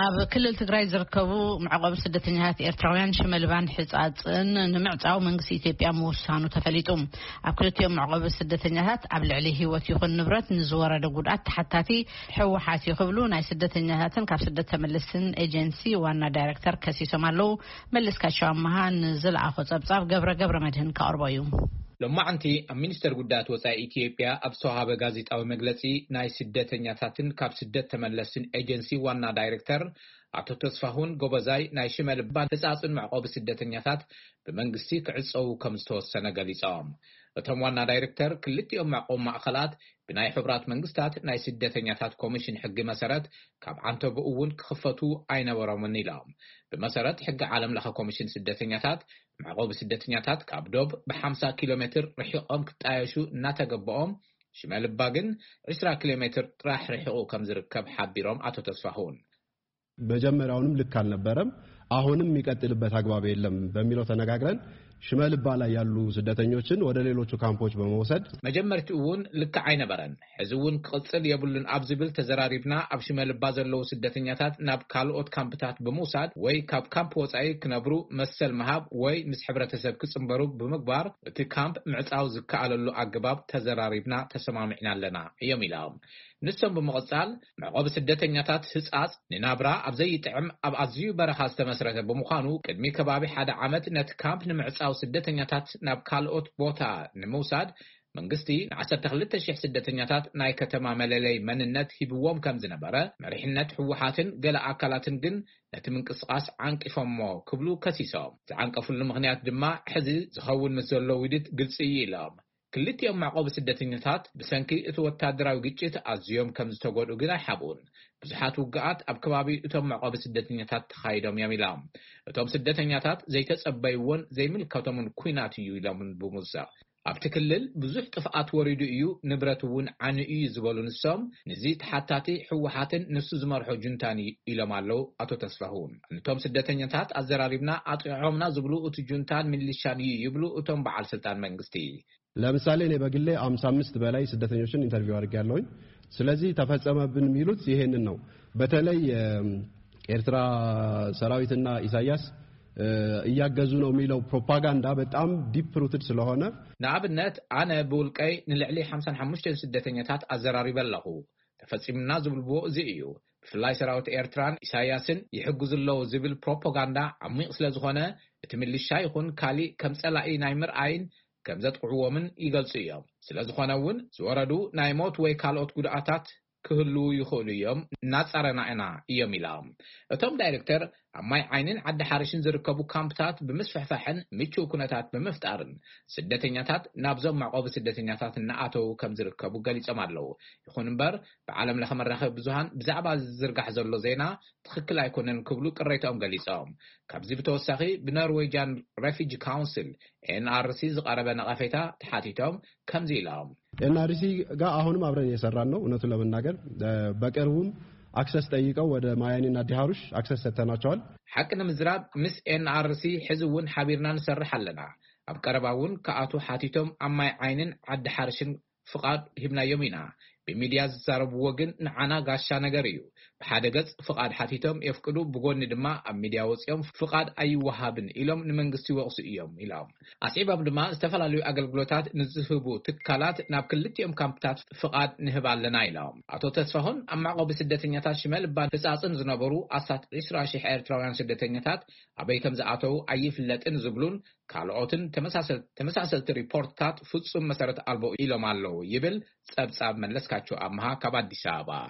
ኣብ ክልል ትግራይ ዝርከቡ መዕቆቢ ስደተኛታት ኤርትራውያን ሽመልባን ሕጻጽን ንምዕጻው መንግስቲ ኢትዮጵያ ምውሳኑ ተፈሊጡ። ኣብ ክልቲኦም መዕቆቢ ስደተኛታት ኣብ ልዕሊ ህይወት ይኹን ንብረት ንዝወረደ ጉድኣት ተሓታቲ ህወሓት እዩ ክብሉ ናይ ስደተኛታትን ካብ ስደት ተመለስትን ኤጀንሲ ዋና ዳይሬክተር ከሲሶም ኣለዉ። መለስካቸው ኣመሃ ንዝለኣኾ ጸብጻብ ገብረ ገብረ መድህን ከቕርቦ እዩ። ሎማዕንቲ ኣብ ሚኒስተር ጉዳያት ወጻኢ ኢትዮጵያ ኣብ ዝተዋሃበ ጋዜጣዊ መግለጺ፣ ናይ ስደተኛታትን ካብ ስደት ተመለስትን ኤጀንሲ ዋና ዳይሬክተር ኣቶ ተስፋሁን ጎበዛይ፣ ናይ ሽመልባን ሕጻጽን መዕቆቢ ስደተኛታት ብመንግስቲ ክዕጸዉ ከም ዝተወሰነ ገሊጾም። እቶም ዋና ዳይሬክተር፣ ክልቲኦም መዕቆቢ ማእከላት ብናይ ሕቡራት መንግስታት ናይ ስደተኛታት ኮሚሽን ሕጊ መሰረት ካብ ዓንተቦ እውን ክኽፈቱ ኣይነበሮምን ኢሎም። ብመሰረት ሕጊ ዓለም ለኸ ኮሚሽን ስደተኛታት፣ መዕቆቢ ስደተኛታት ካብ ዶብ ብ50 ኪሎ ሜትር ርሒቖም ክጣየሹ እናተገበኦም፣ ሽመልባ ግን 20 ኪሎ ሜትር ጥራሕ ርሒቑ ከም ዝርከብ ሓቢሮም ኣቶ ተስፋሁን። መጀመሪያውንም ልክ አልነበረም፣ አሁንም የሚቀጥልበት አግባብ የለም በሚለው ተነጋግረን ሽመልባ ላይ ያሉ ስደተኞችን ወደ ሌሎቹ ካምፖች በመውሰድ መጀመርትኡ እውን ልክዕ ኣይነበረን፣ ሕዚ እውን ክቕጽል የብሉን ኣብ ዝብል ተዘራሪብና፣ ኣብ ሽመልባ ዘለዉ ስደተኛታት ናብ ካልኦት ካምፕታት ብምውሳድ ወይ ካብ ካምፕ ወጻኢ ክነብሩ መሰል ምሃብ ወይ ምስ ሕብረተሰብ ክጽንበሩ ብምግባር፣ እቲ ካምፕ ምዕጻው ዝከኣለሉ ኣገባብ ተዘራሪብና ተሰማሚዕና ኣለና እዮም ኢሎም። ንሶም ብምቕጻል፣ መዕቆቢ ስደተኛታት ህጻጽ ንናብራ ኣብ ዘይጥዕም ኣብ ኣዝዩ በረኻ ዝተመስረተ ብምዃኑ፣ ቅድሚ ከባቢ ሓደ ዓመት ነቲ ካምፕ ንምዕጻው ስደተኛታት ናብ ካልኦት ቦታ ንምውሳድ መንግስቲ ን12,000 ስደተኛታት ናይ ከተማ መለለይ መንነት ሂብዎም ከም ዝነበረ፣ መሪሕነት ህወሓትን ገለ ኣካላትን ግን ነቲ ምንቅስቓስ ዓንቂፎሞ ክብሉ ከሲሶም። ዝዓንቀፍሉ ምኽንያት ድማ ሕዚ ዝኸውን ምስ ዘሎ ውዲት ግልጺ እዩ ኢሎም። ክልቲኦም መዕቆቢ ስደተኛታት ብሰንኪ እቲ ወታደራዊ ግጭት ኣዝዮም ከም ዝተጎድኡ ግን ኣይሓብኡን። ብዙሓት ውግኣት ኣብ ከባቢ እቶም መዕቆቢ ስደተኛታት ተኻይዶም እዮም ኢሎም። እቶም ስደተኛታት ዘይተጸበይዎን ዘይምልከቶምን ኲናት እዩ ኢሎምን ብምውሳኽ፣ ኣብቲ ክልል ብዙሕ ጥፍኣት ወሪዱ እዩ፣ ንብረት እውን ዓንዩ እዩ ዝበሉ ንሶም፣ ንዚ ተሓታቲ ህወሓትን ንሱ ዝመርሖ ጁንታን እዩ ኢሎም ኣለዉ ኣቶ ተስፋሁን። ነቶም ስደተኛታት ኣዘራሪብና ኣጥቂዖምና ዝብሉ እቲ ጁንታን ሚሊሻን እዩ ይብሉ እቶም በዓል ስልጣን መንግስቲ። ለምሳሌ እኔ በግሌ 55 በላይ ስደተኞችን ኢንተርቪው አድርጌያለሁኝ። ስለዚህ ተፈጸመብን የሚሉት ይሄንን ነው። በተለይ የኤርትራ ሰራዊትና ኢሳያስ እያገዙ ነው የሚለው ፕሮፓጋንዳ በጣም ዲፕ ሩትድ ስለሆነ ንኣብነት ኣነ ብውልቀይ ንልዕሊ 55 ስደተኛታት ኣዘራሪበ ኣለኹ። ተፈጺሙና ዝብልዎ እዚ እዩ። ብፍላይ ሰራዊት ኤርትራን ኢሳያስን ይሕግዙ ኣለዉ ዝብል ፕሮፓጋንዳ ዓሚቕ ስለ ዝኾነ፣ እቲ ሚሊሻ ይኹን ካሊእ ከም ጸላኢ ናይ ምርኣይን ከም ዘጥቕዕዎምን ይገልጹ እዮም። ስለ ዝኾነ እውን ዝወረዱ ናይ ሞት ወይ ካልኦት ጉድኣታት ክህልዉ ይኽእሉ እዮም፣ እናጻረና ኢና እዮም ኢሎም። እቶም ዳይሬክተር ኣብ ማይ ዓይንን ዓዲ ሓርሽን ዝርከቡ ካምፕታት ብምስፍሕፋሕን ምቹው ኩነታት ብምፍጣርን ስደተኛታት ናብዞም መዕቆቢ ስደተኛታት እናኣተዉ ከም ዝርከቡ ገሊጾም ኣለዉ። ይኹን እምበር ብዓለም ለኸ መራኸቢ ብዙሃን ብዛዕባ ዝዝርጋሕ ዘሎ ዜና ትኽክል ኣይኮነን ክብሉ ቅሬታኦም ገሊጾም። ካብዚ ብተወሳኺ ብኖርዌጃን ሬፊጂ ካውንስል ኤንኣርሲ ዝቐረበ ነቐፌታ ተሓቲቶም ከምዚ ኢሎም። ኤንአርሲ ጋር አሁንም አብረን እየሰራን ነው። እውነቱን ለመናገር በቅርቡም አክሰስ ጠይቀው ወደ ማያኒና ዲሃሩሽ አክሰስ ሰጥተናቸዋል። ሓቂ ንምዝራብ ምስ ኤንአርሲ ሕዚ እውን ሓቢርና ንሰርሕ ኣለና። ኣብ ቀረባ እውን ክኣቱ ሓቲቶም ኣብ ማይ ዓይንን ዓዲ ሓርሽን ፍቓድ ሂብናዮም ኢና። ብሚድያ ዝዛረብዎ ግን ንዓና ጋሻ ነገር እዩ። ብሓደ ገጽ ፍቓድ ሓቲቶም የፍቅዱ፣ ብጎኒ ድማ ኣብ ሚድያ ወጺኦም ፍቓድ ኣይወሃብን ኢሎም ንመንግስቲ ይወቕሱ እዮም ኢሎም። ኣስዒቦም ድማ ዝተፈላለዩ ኣገልግሎታት ንዝህቡ ትካላት ናብ ክልቲኦም ካምፕታት ፍቓድ ንህብ ኣለና ኢሎም። ኣቶ ተስፋሁን ኣብ መዕቆቢ ስደተኛታት ሽመልባን ህጻጽን ዝነበሩ ኣስታት 20,000 ኤርትራውያን ስደተኛታት ኣበይ ከም ዝኣተዉ ኣይፍለጥን ዝብሉን ካልኦትን ተመሳሰል-፣ ተመሳሰልቲ ሪፖርትታት ፍጹም መሰረት ኣልቦ ኢሎም ኣለዉ ይብል ጸብጻብ መለስካቸው ኣምሃ ካብ ኣዲስ ኣበባ።